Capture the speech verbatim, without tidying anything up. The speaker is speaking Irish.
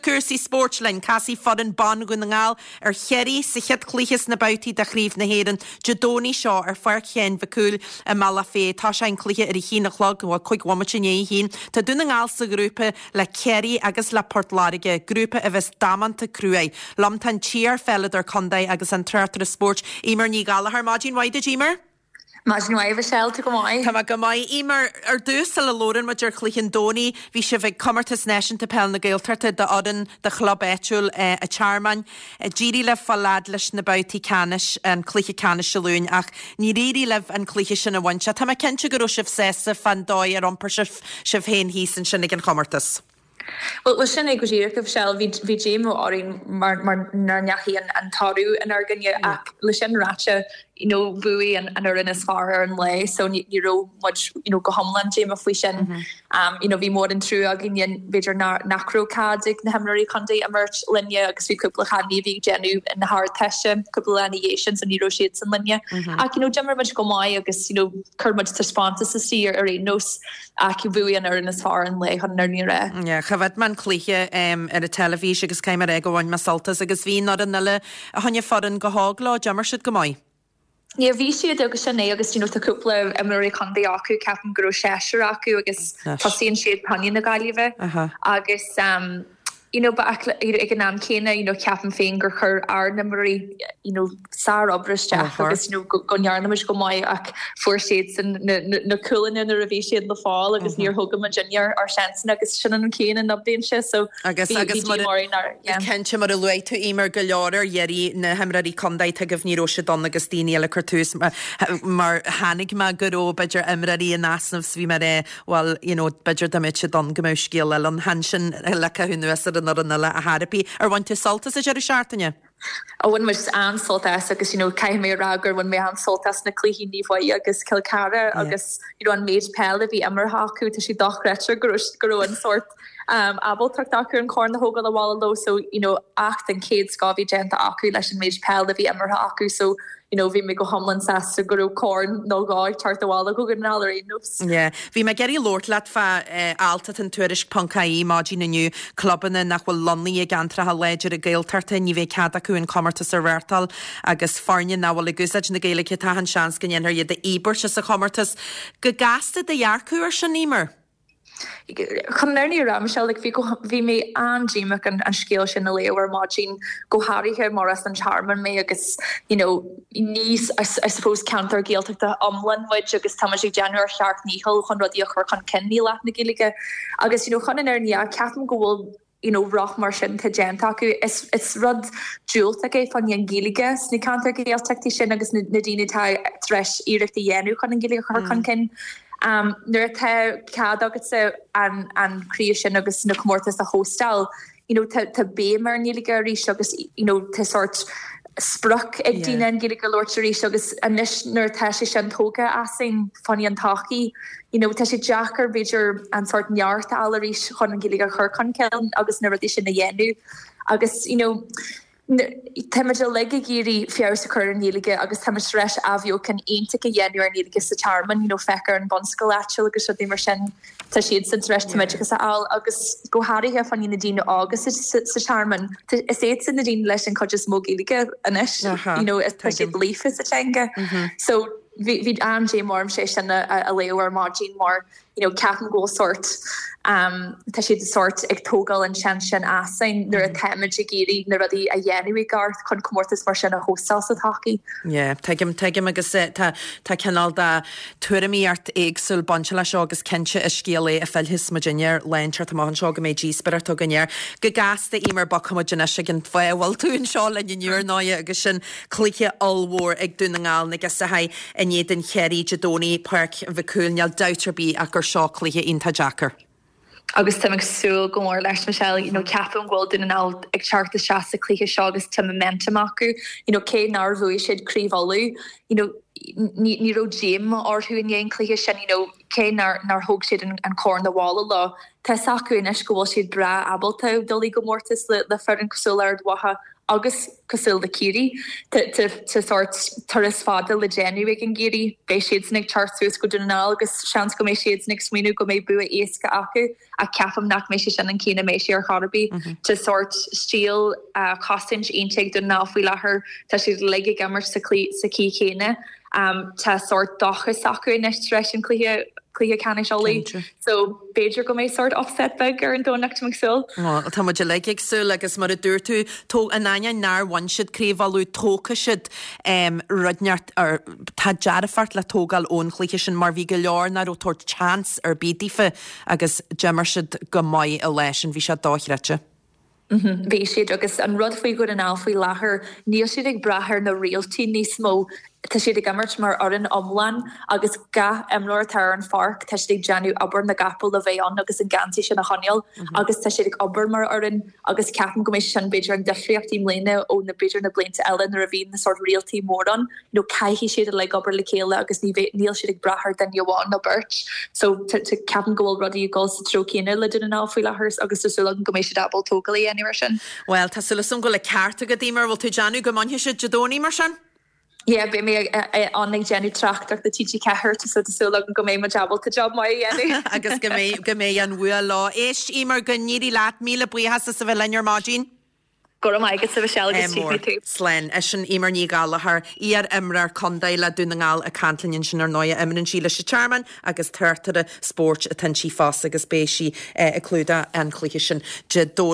cúrsaí spóirt linn casfaidh foireann ban Dhún na nGall ar Chiarraí sa chéad chluiche sna babhtaí de Chraobh na hÉireann Dé Domhnaigh seo ar Pháirc Sheáin Mhic Cumhaill i mBealach Féich. Tá an cluiche ar a haon a chlog bhuel cúig bhomaite i ndiaidh a haon. Tá Dún na nGall sa ghrúpa le Ciarraí agus le Port Láirge, grúpa a bheas damanta cruaidh. Liom tá an t-iarpheileadóir contae agus an tráchtaire spóirt Eimear Ní Ghallchóir maidin mhaith duit Eimear? Maidin mhaith Michelle tú go maith. Tá go maith Eimear ar dtús sula labhrann muid ar chluiche an Domhnaigh, bhí sibh ag comórtas náisiúnta peil na Gaeltachta d'fhoireann de chlub áitiúil an Tearmain. D'éirigh libh fáil fhad leis na babhtaí ceannais an cluiche ceannais Dé Luain ach níor éirigh libh an cluiche sin a bhaint. Tá mé cinnte go raibh sibh sásta fán dóigh ar iompar sibh sibh féin thíos ansin ag an chomórtas. Well well sin é go díreach Michelle bhí bhí díomá orainn mar mar nár ndeachaigh an an toradh inár gcoinne ach le sin ráite you know bhuaigh an an fhoireann is fearr ar an lá so ní ní raibh muid you know go hiomlán díomách faoi sin. Mm -hmm. um, you know bhí mór an trua againn b'fhéidir nach raibh cead ag na himreoirí contae imirt linne agus bhí cúpla cailín bhí ag déanamh na hArdteiste cúpla lá ina dhiaidh sin so ní raibh siad san linne. Mm -hmm. Ach you know d'imir muid go maith agus you know chuir muid taispeántas istigh ar aon nós ach bhuaigh an fhoireann is fearr an lá chun na ré. Yeah, Choimhéad mé an cluiche um, ar an teilifís agus caithfidh mé a rá gur bhain mé sult as agus bhí an fhoireann eile a choinne foireann go hóg leo d'imir siad go maith. Yeah, bhí siad agus sin é agus you know, tá cúpla imreoirí contae acu ceapaim go raibh seisear acu agus tosaíonn siad chun na Gaillimhe uh -huh. agus um, you know, ba ag an am céanna you know, ceapaim féin gur chuir ár n-imreoirí you know, sárobair isteach agus you know, go, go ndearna muid go maith ach fuair siad san na, na, na cúlanna nuair a bhí siad le fáil agus níor thug muid ár ár seansanna agus sin an chéanna na bliana sé so agus agus cinnte mar a luaigh tú Eimear go leor ar dheireadh na himreoirí contae tuigim ní raibh siad ann agus daoine eile cur tús mar tháinig mé go raibh b'fhéidir imreoirí in easnamh bhí mar é well you know b'fhéidir dá mbeadh siad ann go mbeadh scéal eile an han sin le nuas ar an an eile a therapy ar bhain tú sult as an deireadh seachtaine. A bhain muid an-sult as agus you know, caithfidh mé rá gur bhain mé an-sult as na cluichí Naomh Muire agus Cill Chartha yeah. agus you know, an méid peil a bhí imeartha acu tá sé dochreidte go raibh an sórt um, ábaltacht acu an corn a thógáil abhaile leo so you know, éacht den chéad scoth a bhí déanta acu leis an méid peil a bhí imeartha acu so you know, bhí mé go hiomlán sásta go raibh corn nó dhá tart abhaile go go ar aon nós. Yeah. Bhí mé ag iarraidh labhairt leat fá eh, alt in Tuairisc ponc ie maidin inniu clubanna nach bhfuil lonnaithe i gceantracha láidre Gaeltachta ní bheidh cead acu an comórtas a reáchtáil agus foirne nach bhfuil ag úsáid na Gaeilge tá an seans go ndéanfar iad a dhíbirt as an chomórtas. Go gasta do dhearcadh ar sin Eimear. Chun na fírinne a rá Michelle bhí bhí mé an-díomách an, an scéal sin a léamh ar maidin go háirithe mar as an Tearmann mé agus you know, ní I, I suppose ceantar Gaeltachta iomlán muid agus tá ag déanamh ar cheart níhall chun rudaí a chur chun cinn i leith na Gaeilge agus you know, chun an fhírinne ceapaim go bhfuil you know, rud mar sin tá déanta acu is, is rud diúltach é fan an Ghaeilge sna ceantar Gaeltachtaí sin agus na, na daoine tá tar éis iarracht a dhéanamh chun an Ghaeilge a chur chun cinn. Um, nuair atá cead agatsa an, an craobh sin agus na comórtas a hóstáil, you know, tá, tá béim ar an Ghaeilge arís agus you know, tá sórt sprioc ag daoine an Ghaeilge labhairt arís agus anois nuair atá sé sin tógtha asainn fan an todhchaí. You know, tá sé deacair b'fhéidir an sórt neart a fháil arís chun an Ghaeilge a chur chun cinn agus na rudaí sin a dhéanamh. Agus you know, Táimid uilig ag iarraidh feabhas a chur ar an Ghaeilge agus táimid tar éis athbheochan iontach a dhéanamh ar an Ghaeilge sa Tearmann, you know, féach ar an bunscoil áitiúil agus rudaí mar sin tá siad san tar éis tumoideachas a fháil agus go háirithe fan na daoine óga sa, sa, sa Tearmann. Is iad sin na daoine leis an chuid is mó Gaeilge anois, you know, is tá siad líofa sa teanga. So bhí bhí an-díomá orm sé sin a, a, a léamh ar maidin mar you know, ceapaim go bhfuil sórt um, tá siad sórt ag tógáil an seans sin asainn nuair atáimid ag iarraidh na rudaí a dhéanamh i gceart chun comórtas mar sin a hóstáil sa todhchaí. Yeah, tuigim tuigim agus eh, tá tá cineál de tuairimíocht éagsúil bainte leis seo agus cinnte is scéal é a phléifidh muidinne ar leanteart amach anseo go mbeidh díospóireacht againn air. Go gasta Eimear bogfaimid anois ag an fáth a bhfuil tú anseo linn inniu ar ndóigh agus sin cluiche ollmhór ag Dún na nGall na Gisaithe in éadan Chiarraí Dé Domhnaigh Páirc Mhic Cumhaill níl dabht ar bith ach gur seo cluiche iontach deacair. Agus tá ag súil go mór leis Michelle, you know, ceapaim go bhfuil Dún na nGall ag teacht isteach sa cluiche seo agus tá momentum acu, you know, cé nár bhuaigh siad Craobh Uladh, you know, ní ní raibh díomá orthu i ndiaidh an cluiche sin, you know, cé nár nár thóg siad an, an corn abhaile leo. Tá acu anois go bhfuil siad breá ábalta dul i gcomórtas le, le foireann cosúil le Ard Mhacha agus cosúil le Ciarraí tá sórt turas fada le déanamh ag an gCiarraí beidh siad ag teacht suas go Dún na nGall agus seans go mbeidh siad ag smaoineamh go mbeidh bua éasca acu ach ceapaim nach mbeidh sé sin an chéanna mbeidh sé ar chor ar bith mm -hmm. Tá sórt stíl uh, cosaint iontach ag Dún na nGall faoi láthair tá siad uilig ag imirt sa sa chaoi chéanna um, tá sórt dóchas acu anois tar éis an cluiche cluiche ceannais Uladh. So b'fhéidir go mbeidh sórt upset beag ar an Domhnach ag súil. Tá muid uilig ag súil agus mar a dúirt tú in ainneoin nár bhain siad Craobh Uladh tógfaidh siad um, rud inteacht tá dearfacht le tógáil ón chluiche sin mar bhí go leor nach raibh ag tabhairt chance ar bith daofa agus d'imir siad go maith i leis an bhí sé dochreidte. Mhm, bhí siad agus an rud faoi Dhún na nGall faoi láthair níl siad ag brath ar na réaltaí níos mó Tá siad ag imirt mar fhoireann iomlán agus gach imreoir atá ar an pháirc tá siad ag déanamh obair na gcapall a bheith ann agus an geansaí sin a choinneáil mm -hmm. agus tá siad ag obair mar fhoireann agus ceapaim go mbeidh sin b'fhéidir an difríocht i mbliana ó na b'fhéidir na blianta eile nuair a bhí na sórt réaltaí mór ann nó caithfidh siad le obair le chéile agus ní níl siad ag brath ar duine amháin nó beirt so ceapaim go bhfuil rudaí ag dul sa treo céanna le Dún na nGall faoi láthair agus tá súil agam go mbeidh siad ábalta tógáil a dhéanamh sin. Well tá súil agam go bhfuil an ceart agat Eimear bhfuil tú déanamh go mbainfidh siad Dé Domhnaigh mar sin? Yeah, beidh mé ann ag déanamh tráchtaireacht do TG Ceathair so tá súil agam go mbeidh mé ábalta job maith a dhéanamh. agus go mbeidh go mbeidh an bua leo. Éist Eimear go n-éirí leat míle buíochas as a bheith linn ar maidin. Go raibh maith agat Michelle agus tú. Slán sin Eimear Ní Ghallchóir iar-imreoir contae le Dún na nGall ag caint linn sin ar ndóigh imríonn sí leis an Tearmann agus tráchtaire spóirt atá inti fosta agus beidh sí ag clúdach an chluiche sin Dé Domhnaigh.